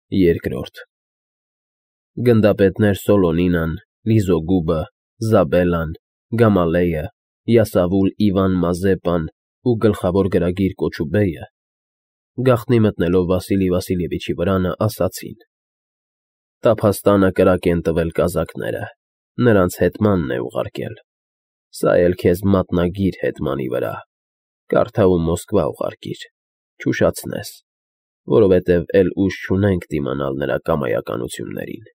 Երկրորդ Գնդապետներ Սոլոնինան, Լիզոգուբը, Զաբելլան, Գամալեյը, Յասավուլ Իվան Մազեպան ու գլխավոր գրագիր Կոչուբեյը, գաղտնի մտնելով Վասիլի Վասիլևիչի վրանը, ասացին. «Տափաստանը կրակ են տվել կազակները, նրանց հեթմանն է ուղարկել, սա էլ քեզ մատնագիր հեթմանի վրա, կարդա ու Մոսկվա ուղարկիր, չուշացնես, որովհետև էլ ուժ չունենք դիմանալ նրա կամայականություններին։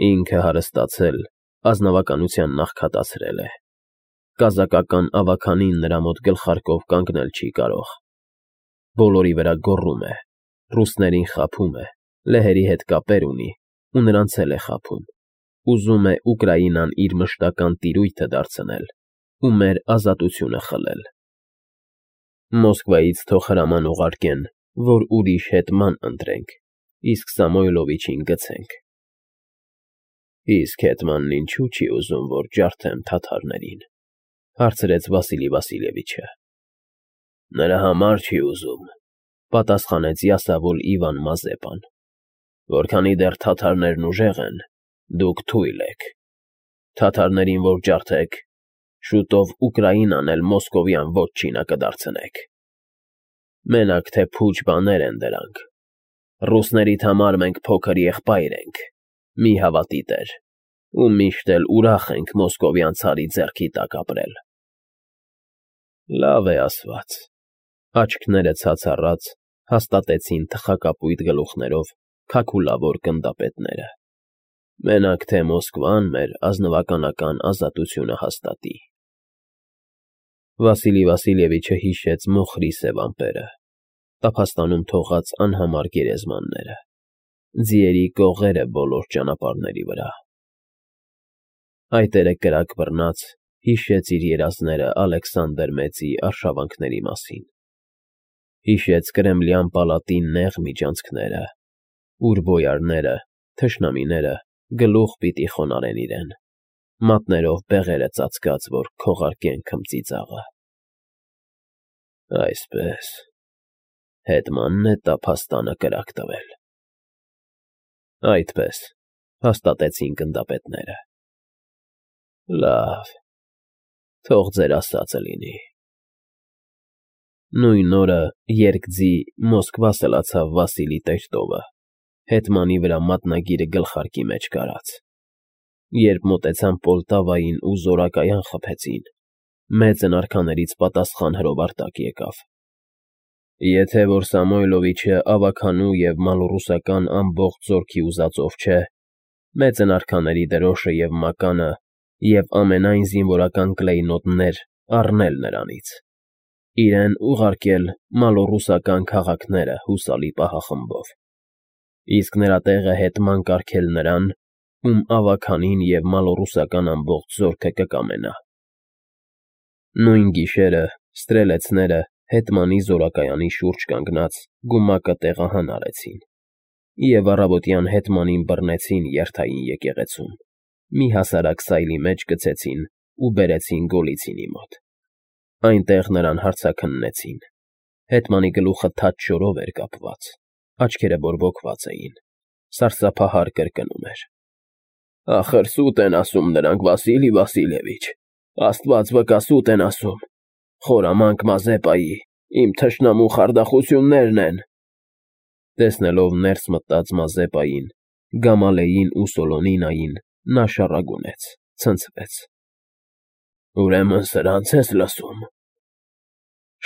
Ինքը հարստացել, ազնվականության նախքատացրել է, կազակական ավագանին նրա մոտ գլխարկով կանգնել չի կարող, բոլորի վրա գոռում է, ռուսներին խաբում է, լեհերի հետ կապեր ունի ու նրանց էլ է խաբում, ուզում է Ուկրաինան իր մշտական տիրույթը դարձնել ու մեր ազատությունը խլել։ Մոսկվայից թող հրաման ուղարկեն, որ ուրիշ հեթման ընտրենք, իսկ Սամոյլովիչին գցենք»։ «Իսկ հեթմանն ինչու չի ուզում, որ ջարդեմ թաթարներին», հարցրեց Վասիլի Վասիլևիչը։ «Նրա համար չի ուզում», պատասխանեց Յասավուլ Իվան Մազեպան, «որքանի դեռ թաթարներն ուժեղ են, դուք թույլ եք։ Թաթարներին որ ջարդեք, շուտով Ուկրաինան էլ մոսկովյան վոտչինա կդարձնեք։ Մենակ թե փուչ բաներ են դրանք, ռուսներիդ համար մենք փոքր եղբայր ենք, մի հավատի տեր, ու միշտ էլ ուրախ ենք մոսկովյան ցարի ձեռքի տակ ապրել»։ «Լավ է ասված», աչքները ցած առած հաստատեցին թխակապույտ գլուխներով քաքուլավոր գնդապետները։ «Մենակ թե Մոսկվան մեր ազնվականական ազատությունը հաստատի»։ Վասիլի Վասիլևիչը հիշեց մոխրի սև ամպերը, տափաստանում թողած անհամար գերեզմանները, ձիերի կողերը բոլոր ճանապարհների վրա։ Այդ էրը կրակ բռնած հիշեց իր երազները Ալեքսանդր Մեծի արշավանքների մասին, հիշեց Կրեմլյան պալատի նեղ միջանցքները, ուր բոյարները, թշնամիները գլուխ պիտի խոնարհեն իրեն, մատներով բեղերը ծածկած, որ քողարկեն քմծիծաղը։ Այսպես, հեթմանն է տափաստանը կրակ տվել։ Այդպես, հաստատեցին գնդապետները։ Լավ, թող ձեր ասածը լինի։ Նույն օրը երկձի Մոսկվա սլացավ Վասիլի Տեր֊տովը, հեթմանի վրա մատնագիրը գլխարկի մեջ կարած։ Երբ մոտեցան Պոլտավային ու զորակայան խփեցին, մեծն արքաներից պատասխան հրով արտակ եկավ։ Եթե որ Սամոյլովիչը ավագանու և մալոռուսական ամբողջ զորքի ուզածով չէ, մեծն արքաների դրոշը և մականը և ամենայն զինվորական կլեյնոտներ առնել նրանից, իրեն ուղարկել մալոռուսական քաղաքները հուսալի պահախմբով, իսկ նրա տեղը հեթման կարգել նրան, ում ավագանին և մալոռուսական ամբողջ զորքը կկամենա։ Նույն գիշերը ստրելեցները հեթմանի զորակայանի շուրջ կանգնած գումակը տեղահան արեցին և առավոտյան հեթմանին բռնեցին երթային եկեղեցում, մի հասարակ սայլի մեջ գցեցին ու բերեցին Գոլիցինի մոտ։ Այնտեղ նրան հարձաքննեցին, հեթմանի գլուխը թաց շորով էր կապված, աչքերը բորբոքված էին, սարսափահար կրկնում էր. «Ախր սուտ են ասում նրանք, Վասիլի Վասիլևիչ, Աստված վկա, սուտ են ասում, խորամանկ Մազեպայի, իմ թշնամու խարդախություններն են»։ Տեսնելով ներս մտած Մազեպային, Գամալեին ու Սոլոնինային, նա շառագունեց, ցնցվեց։ «Ուրեմն սրանց ես լսում։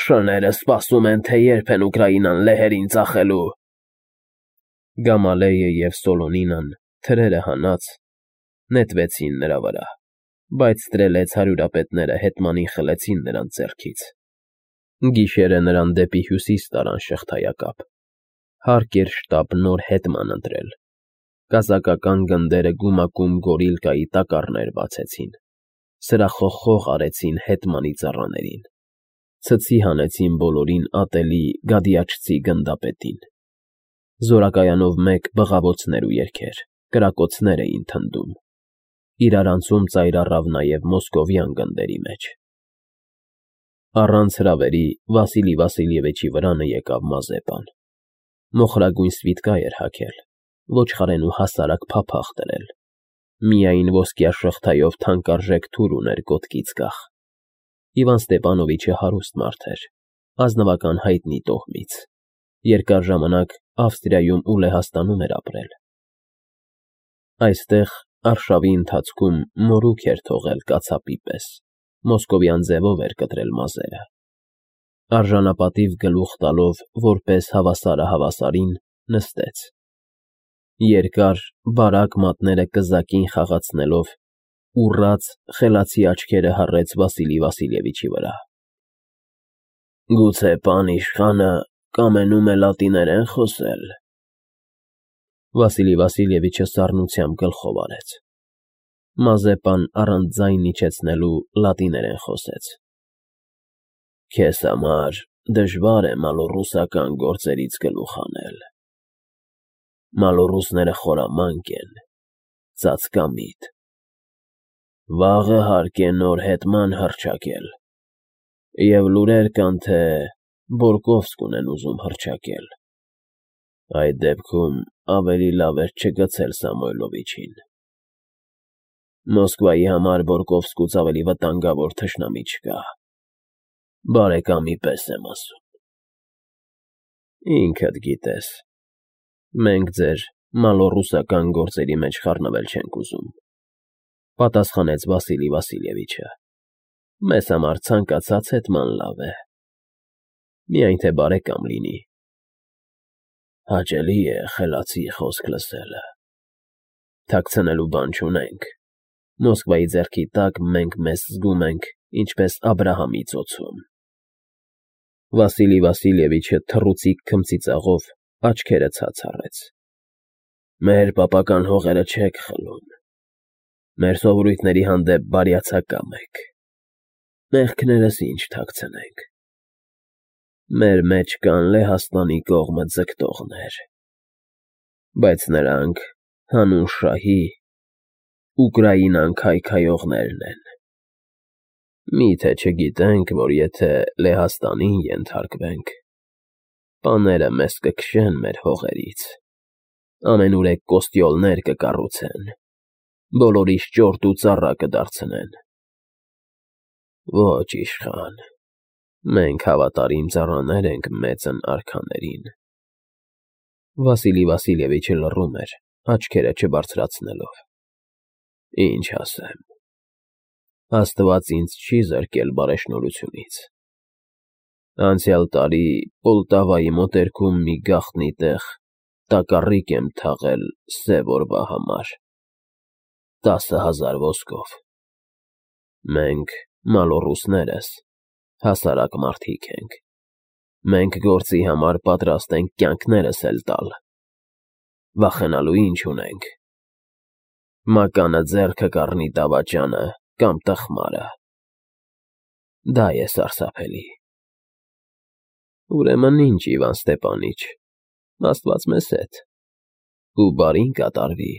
Շները սպասում են, թե երբ են Ուկրաինան լեհերին ծախելու»։ Գամալեյը և Սոլոնինան, թրերը հանած, նետվեցին նրա վրա, բայց ստրելեց հարյուրապետները հեթմանին խլեցին նրանց ձեռքից։ Գիշերը նրան դեպի հյուսիս տարան շղթայակապ, հարկ էր շտապ նոր հեթման ընտրել։ Կազակական գնդերը գումակում գորիլկայի տակառներ բացեցին, սրախոխող արեցին հեթմանի ծառաներին, ցցի հանեցին բոլորին ատելի գադիաչցի գնդապետին։ Զորակայանով մեկ բղավոցներ ու երգեր, կրակոցներ էին թնդում, իրարանցում ծայր առավ նաև մոսկովյան գնդերի մեջ։ Առանց հրավերի Վասիլի Վասիլևիչի վրանը եկավ Մազեպան։ Մոխրագույն սվիթկա էր հագել, ոչխարենու հասարակ փափախ դրել, միայն ոսկյա շղթայով թանկարժեք թուր ուներ կոտկից կախ։ Իվան Ստեպանովիչը հարուստ մարդ էր, ազնվական հայտնի տոհմից, երկար ժամանակ Ավստրիայում ու Լեհաստանում էր ապրել։ Այստեղ արշավի ընթացքում մորուք էր թողել կացապի պես, մոսկովյան ձևով էր կտրել մազերը։ Արժանապատիվ գլուխ տալով, որպես հավասարը հավասարին, նստեց։ Երկար, բարակ մատները կզակին խաղացնելով, ուռած, խելացի աչքերը հառեց Վասիլի Վասիլևիչի վրա։ Գուցե պան իշխանը կամենում է լատիներեն խոսել։ Վասիլի Վասիլևիչը սառնությամբ գլխով արեց։ Մազեպան առանց ձայն իջեցնելու լատիներեն խոսեց։ Քեզ համար դժվար է մալոռուսական գործերից գլուխ հանել։ Մալոռուսները խորամանկ են, ծածկամիտ։ Վաղը հարկ է նոր հետման հռչակել, և լուրեր կան, թե Բորկովսկ ունեն ուզում հռչակել։ Այդ դեպքում ավելի լավ էր չգցել Սամոյլովիչին։ Մոսկվայի համար Բորկովսկուց ավելի վտանգավոր թշնամի չկա։ Բարեկամի պես եմ ասում։ Ինքդ գիտես, մենք ձեր մալոռուսական գործերի մեջ խառնվել չենք ուզում, պատասխանեց Վասիլի Վասիլևիչը։ Մեզ համար ցանկացած հետման լավ է, միայն թե բարեկամ լինի։ Հաճելի է խելացի խոսք լսելը։ Թաքցնելու բան չունենք։ Մոսկվայի ձեռքի տակ մենք մեզ զգում ենք, ինչպես Աբրահամի ծոցում։ Վասիլի Վասիլևիչը թռուցիկ քմծիծաղով աչքերը ցած առեց։ Մեր պապական հողերը չեք խլում։ Մեր սովորույթների հանդեպ բարյացակամ եք։ Մեղքներս ինչ թաքցնենք։ Մեր մեջ կան Լեհաստանի կողմը ձգտողներ, բայց նրանք հանուն շահի Ուկրաինան քայքայողներն են։ Մի՞թե չգիտենք, որ եթե Լեհաստանին ենթարկվենք, պաները մեզ կքշեն մեր հողերից, ամենուրեք կոստյոլներ կկառուցեն, բոլորիս ճորտ ու ծառա կդարձնեն։ Ոչ, իշխան, մենք հավատարիմ ծառաներ ենք մեծն արքաներին։ Վասիլի Վասիլևիչը լռում էր, աչքերը չբարձրացնելով։ Ինչ ասեմ։ Աստված ինձ չի զրկել բարեշնորհությունից։ Անցյալ տարի Պոլտավայի մոտերքում մի գաղտնի տեղ տակառիկ եմ թաղել սև օրվա համար, 10,000 ոսկով։ Մենք, մալոռուսներս, հասարակ մարդիկ ենք։ Մենք գործի համար պատրաստ ենք կյանքներս էլ տալ։ Վախենալու ինչ ունենք։ Մականը ձեռքը կառնի դավաճանը կամ տխմարը։ Դա է սարսափելի։ Ուրեմն ինչ, Իվան Ստեպանիչ, Աստված մեզ հետ, ու բարին կատարվի։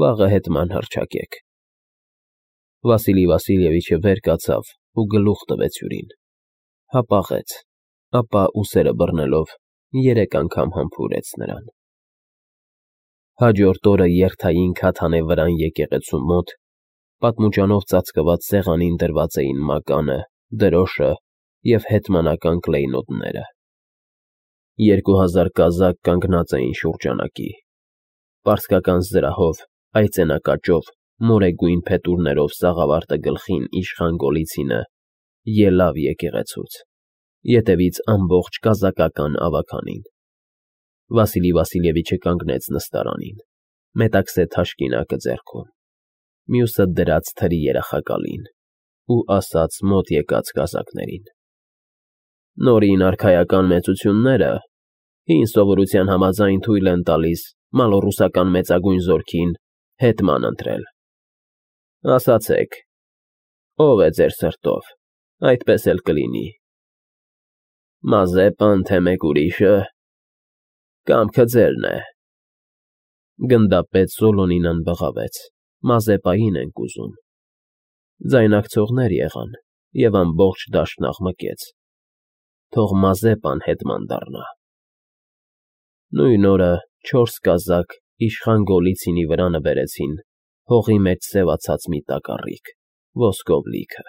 Վաղը հետման հռչակեք։ Վասիլի Վասիլևիչը վեր կացավ ու գլուխ տվեց հյուրին։ Հապաղեց, ապա ուսերը բռնելով 3 անգամ համբուրեց նրան։ Հաջորդ օրը երթային Քաթանե վրան եկեղեցու մոտ պատմուճանով ծածկված սեղանին դրված էին մականը, դրոշը և հետմանական կլեյնոտները։ 2000 կազակ կանգնած էին շուրջանակի։ Պարսկական զրահով, այծենակաճով, մորեգույն փետուրներով սաղավարտը գլխին իշխան Գոլիցինը ելավ եկեղեցուց, ետևից ամբողջ կազակական ավագանին։ Վասիլի Վասիլևիչը կանգնեց նստարանին, մետաքսե թաշկինակը ձեռքում, մյուսը դրած թրի երախակալին ու ասաց մոտ եկած կազակներին. Նորին արքայական մեծությունները հին սովորության համաձայն թույլ են տալիս մալոռուսական մեծագույն զորքին հետման ընտրել։ Ասացեք, ով է ձեր սրտով, այդպես էլ կլինի։ Մազեպան, թե մեկ ուրիշը, կամքը ձերն է։ Գնդապետ Սոլոնինան բղավեց. Մազեպային ենք ուզում։ Ձայնակցողներ եղան, և ամբողջ դաշտն աղմկեց։ Թող Մազեպան հետման դառնա։ Նույն օրը 4 կազակ իշխան Գոլիցինի վրա նվերեցին հողի մեջ սևացած մի տակառիկ՝ ոսկով լիքը։